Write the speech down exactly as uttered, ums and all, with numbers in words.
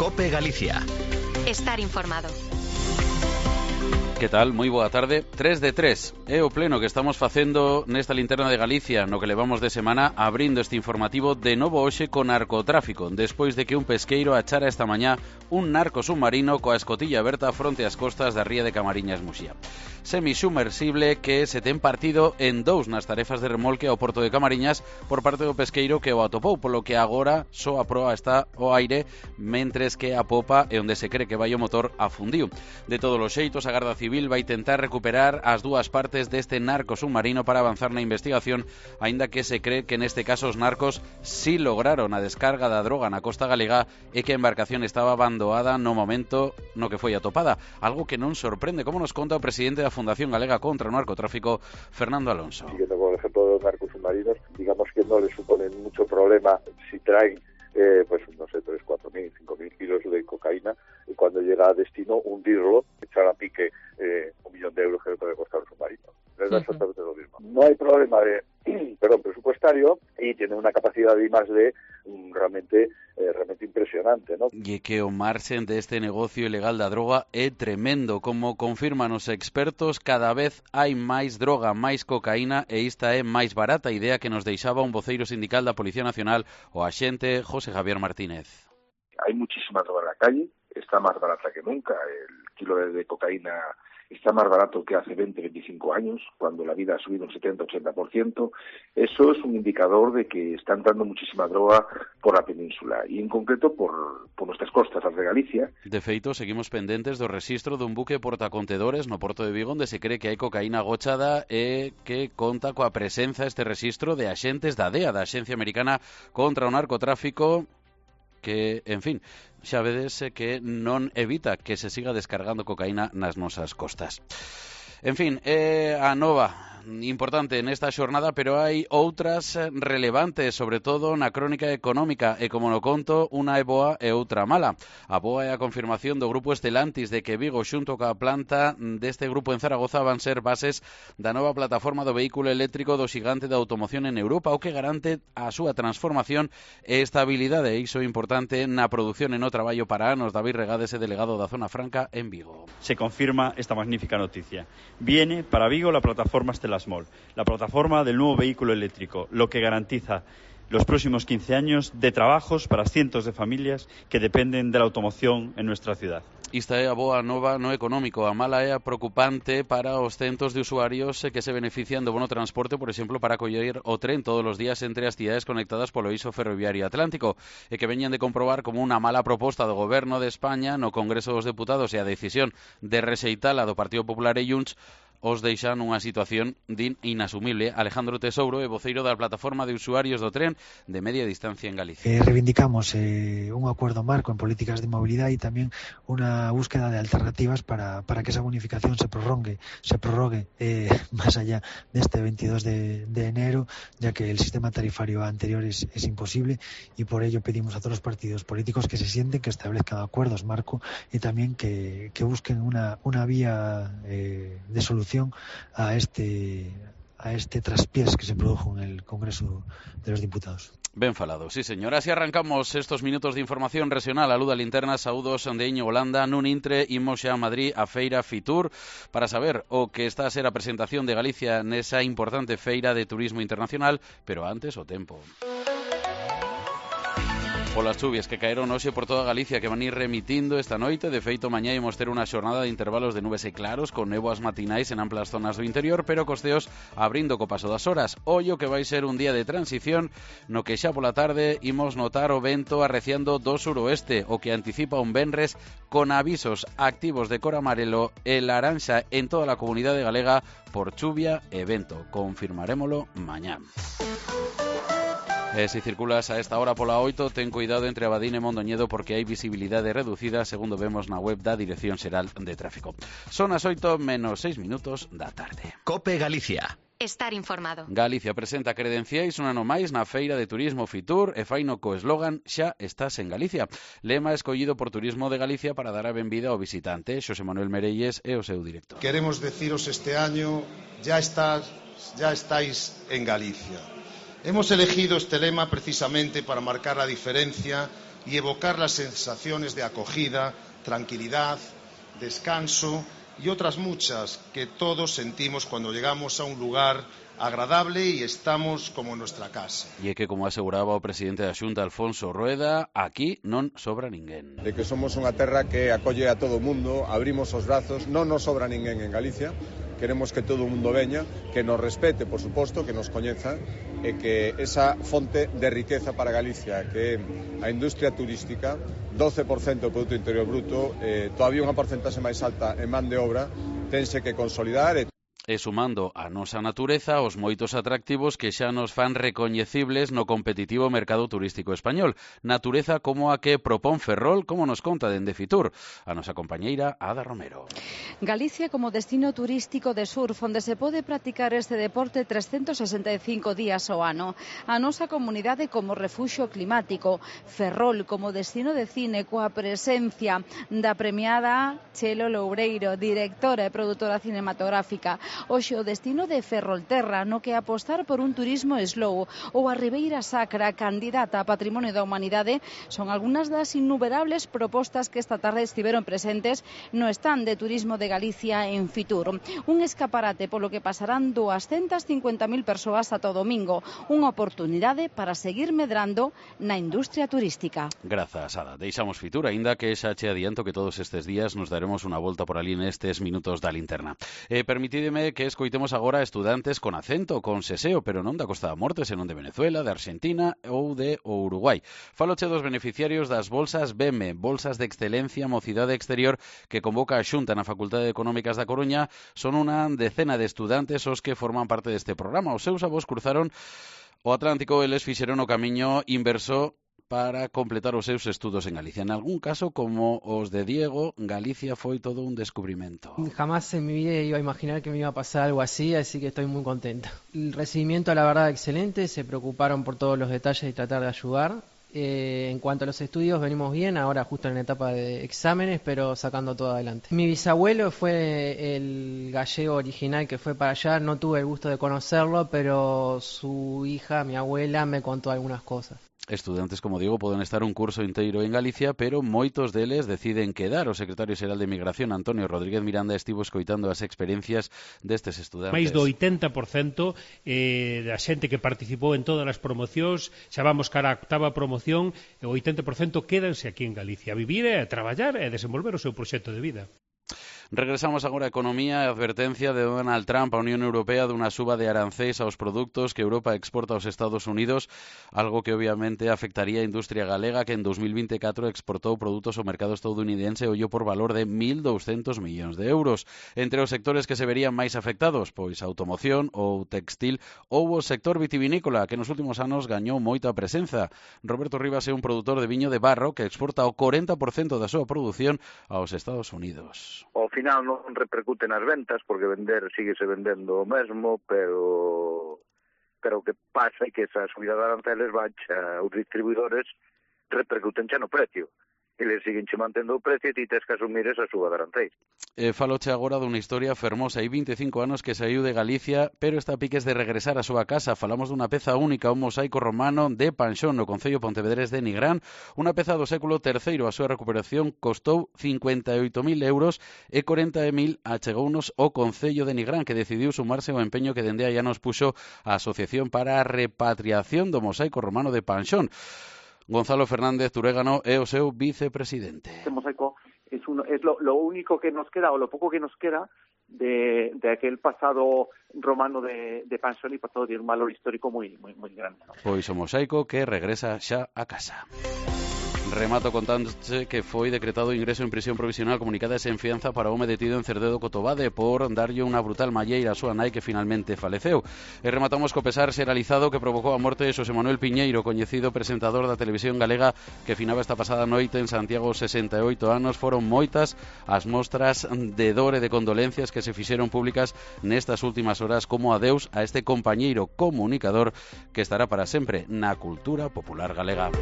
COPE Galicia. Estar informado. Que tal? Moi boa tarde. tres de tres. É o pleno que estamos facendo nesta linterna de Galicia, no que levamos de semana abrindo este informativo de novo hoxe con narcotráfico, despois de que un pesqueiro achara esta mañá un narco submarino coa escotilla aberta fronte ás costas da ría de Camariñas, Muxía. Semisumersible que se ten partido en dous nas tarefas de remolque ao porto de Camariñas por parte do pesqueiro que o atopou, polo que agora só a proa está ao aire, mentres que a popa é onde se cree que vai o motor afundiu. De todos os xeitos, a Garda Civil vai tentar recuperar as dúas partes deste narco submarino para avanzar na investigación, aínda que se cree que neste caso os narcos si lograron a descarga da droga na costa galega e que a embarcación estaba abandoada no momento no que foi atopada, algo que non sorprende, como nos conta o presidente da Fundación Galega contra o Narcotráfico, Fernando Alonso. Siguiendo con el ejemplo de los narcos submarinos, digamos que no les suponen mucho problema si traen Eh, pues no sé, tres, cuatro mil, cinco mil kilos de cocaína y cuando llega a destino hundirlo, echar a pique eh, un millón de euros que le puede costar un submarino. Es uh-huh. exactamente lo mismo. No hay problema de, perdón, presupuestario y tiene una capacidad de I más D um, realmente eh, realmente impresionante, ¿no? E que o marxen deste negocio ilegal da droga é tremendo, como confirman os expertos, cada vez hai máis droga, máis cocaína e esta é máis barata, idea que nos deixaba un voceiro sindical da Policía Nacional, o axente José Javier Martínez. Hay muchísima droga en la calle, está más barata que nunca, el kilo de, de cocaína está más barato que hace veinte, veinticinco años, cuando la vida ha subido un setenta, ochenta por ciento. Eso es un indicador de que está entrando muchísima droga por la península y en concreto por, por nuestras costas, las de Galicia. De feito, seguimos pendentes do rexistro dun buque portacontedores no Porto de Vigo onde se cree que hai cocaína agochada e que conta coa presenza este rexistro de axentes da D E A, da Axencia Americana contra o Narcotráfico, que, en fin, xa vedes que non evita que se siga descargando cocaína nas nosas costas. En fin, é a nova importante nesta xornada, pero hai outras relevantes, sobre todo na crónica económica, e como no conto, unha é boa e outra mala. A boa é a confirmación do grupo Estelantis de que Vigo xunto coa planta deste grupo en Zaragoza van ser bases da nova plataforma do vehículo eléctrico do xigante da automoción en Europa, o que garante a súa transformación e estabilidade, e iso é importante na produción e no traballo para anos. David Regades é delegado da Zona Franca en Vigo. Se confirma esta magnífica noticia. Viene para Vigo la plataforma Estelasmol, la plataforma del nuevo vehículo eléctrico, lo que garantiza los próximos quince años de trabajos para cientos de familias que dependen de la automoción en nuestra ciudad. Esta é a boa nova no económico. A mala é a preocupante para os centos de usuarios que se benefician do bono transporte, por exemplo, para coller o tren todos os días entre as cidades conectadas polo eixo ferroviario atlántico, e que veñan de comprobar como unha mala proposta do Goberno de España no Congreso dos Deputados e a decisión de rexeitala do Partido Popular e Junts os deixan nunha situación din inasumible. Alejandro Tesouro é voceiro da plataforma de usuarios do tren de media distancia en Galicia. Eh, reivindicamos eh, un acuerdo marco en políticas de movilidad y también una búsqueda de alternativas para, para que esa bonificación se prorrogue, se prorrogue eh, más allá de este veintidós de enero, ya que el sistema tarifario anterior es, es imposible, y por ello pedimos a todos los partidos políticos que se sienten, que establezcan acuerdos marco y también que, que busquen una, una vía eh, de solución a este a este traspiés que se produjo en el Congreso de los Diputados. Ben falado, sí señor. Así arrancamos estos minutos de información regional. A Luda Linterna, saúdos de Iñigo Holanda. Nun intre, imos xa a Madrid a Feira Fitur para saber o que está a ser a presentación de Galicia nesa importante feira de turismo internacional, pero antes o tempo. Polas chuvias que caeron hoxe por toda Galicia, que van ir remitindo esta noite. De feito, mañá imos ter unha xornada de intervalos de nubes e claros con néboas matinais en amplas zonas do interior, pero costeos abrindo co paso das horas. Ollo que vai ser un día de transición no que xa pola tarde imos notar o vento arreciando do suroeste, o que anticipa un venres con avisos activos de cor amarelo e laranxa en toda a comunidade galega por chuvia e vento. Confirmarémolo mañá. E se circulas a esta hora pola oito, ten cuidado entre Abadín e Mondoñedo porque hai visibilidade reducida, segundo vemos na web da Dirección Xeral de Tráfico. Son as oito menos seis minutos da tarde. COPE Galicia. Estar informado. Galicia presenta credenciais un ano máis na Feira de Turismo Fitur e faino co eslogan Xa estás en Galicia. Lema escollido por Turismo de Galicia para dar a benvida ao visitante. Xosé Manuel Merelles é o seu director. Queremos deciros este año, ya estás, ya estáis en Galicia. Hemos elegido este lema precisamente para marcar la diferencia y evocar las sensaciones de acogida, tranquilidad, descanso y otras muchas que todos sentimos cuando llegamos a un lugar agradable y estamos como en nuestra casa. E que, como aseguraba o presidente da Xunta, Alfonso Rueda, aquí non sobra ninguén. De que somos unha terra que acolle a todo o mundo, abrimos os brazos, non nos sobra ninguén en Galicia, queremos que todo o mundo veña, que nos respete, por suposto, que nos coñeza, e que esa fonte de riqueza para Galicia, que é a industria turística, doce por cento do Produto Interior Bruto, eh, todavía unha porcentaxe máis alta en man de obra, tense que consolidar. E E sumando a nosa natureza os moitos atractivos que xa nos fan recoñecibles no competitivo mercado turístico español. Natureza como a que propón Ferrol, como nos conta dende Fitur a nosa compañeira Ada Romero. Galicia como destino turístico de surf onde se pode practicar este deporte trescentos sesenta e cinco días ao ano. A nosa comunidade como refuxio climático. Ferrol como destino de cine coa presencia da premiada Chelo Loureiro, directora e produtora cinematográfica. Hoxe o destino de Ferrolterra, no que apostar por un turismo slow, ou a Ribeira Sacra, candidata a Patrimonio da Humanidade, son algunhas das innumerables propostas que esta tarde estiveron presentes no stand de turismo de Galicia en Fitur. Un escaparate polo que pasarán doscientas cincuenta mil persoas ata o domingo, unha oportunidade para seguir medrando na industria turística. Grazas, Ada. Deixamos Fitur, aínda que xa che adianto que todos estes días nos daremos unha volta por ali nestes minutos da linterna. Eh, permitídeme que escoitemos agora estudantes con acento, con seseo, pero non da Costa da Morte, senón de Venezuela, de Argentina ou de Uruguai. Faloche dos beneficiarios das bolsas B E M E, Bolsas de Excelencia Mocidade Exterior, que convoca a Xunta na Facultade de Económicas da Coruña. Son unha decena de estudantes os que forman parte deste programa. Os seus avós cruzaron o Atlántico e les fixeron o camiño inverso para completar os seus estudos en Galicia. En algún caso, como os de Diego, Galicia foi todo un descubrimento. Jamás en mi vida iba a imaginar que me iba a pasar algo así, así que estoy muy contenta. El recibimiento, la verdad, excelente, se preocuparon por todos los detalles y tratar de ayudar. Eh, en cuanto a los estudios, venimos bien, ahora justo en la etapa de exámenes, pero sacando todo adelante. Mi bisabuelo fue el gallego original que fue para allá, no tuve el gusto de conocerlo, pero su hija, mi abuela, me contó algunas cosas. Estudantes, como digo, poden estar un curso inteiro en Galicia, pero moitos deles deciden quedar. O secretario xeral de Migración, Antonio Rodríguez Miranda, estivo escoitando as experiencias destes estudantes. Mais do oitenta por cento eh, da xente que participou en todas as promocións, xa vamos cara a octava promoción, o oitenta por cento quédanse aquí en Galicia a vivir e a traballar e a desenvolver o seu proxecto de vida. Regresamos agora a economía e advertencia de Donald Trump á Unión Europea dunha suba de arancéis aos produtos que Europa exporta aos Estados Unidos, algo que obviamente afectaría a industria galega que en dos mil vinte e catro exportou produtos ao mercado estadounidense ollo por valor de mil douscentos millóns de euros. Entre os sectores que se verían máis afectados, pois a automoción ou textil ou o sector vitivinícola, que nos últimos anos gañou moita presenza. Roberto Rivas é un produtor de viño de barro que exporta o corenta por cento da súa produción aos Estados Unidos. Ao final non repercute nas ventas, porque vender síguese vendendo o mesmo, pero pero o que pasa é que esa subida de aranceles baixa os distribuidores, repercuten xa no precio. Eles siguen che mantendo o precio e ti tes que asumir esa suba de aranceis. Eh, faloche agora dunha historia fermosa. Hai vinte e cinco anos que saiu de Galicia, pero está a piques de regresar á súa casa. Falamos dunha peza única, un mosaico romano de Panxón, no concello pontevedrés de Nigrán. Unha peza do século terceiro. A súa recuperación costou cincuenta e oito mil euros e corenta mil achegounos o concello de Nigrán, que decidiu sumarse ao empeño que dende aí nos puxo a Asociación para a Repatriación do Mosaico Romano de Panxón. Gonzalo Fernández Turégano é o seu vicepresidente. Este mosaico es, uno, es lo, lo único que nos queda, o lo poco que nos queda, de, de aquel pasado romano de, de Panxón, y por todo tiene un valor histórico muy, muy, muy grande, ¿no? Pois o mosaico que regresa xa a casa. Remato contándoche que foi decretado ingreso en prisión provisional comunicada e sen fianza para o home detido en Cerdedo Cotobade por darlle unha brutal malleira a súa nai que finalmente faleceu. E rematamos co pesar xeralizado que provocou a morte de Xosé Manuel Piñeiro, coñecido presentador da televisión galega que finaba esta pasada noite en Santiago, sesenta e oito anos. Foron moitas as mostras de dor e de condolencias que se fixeron públicas nestas últimas horas como adeus a este compañeiro comunicador que estará para sempre na cultura popular galega.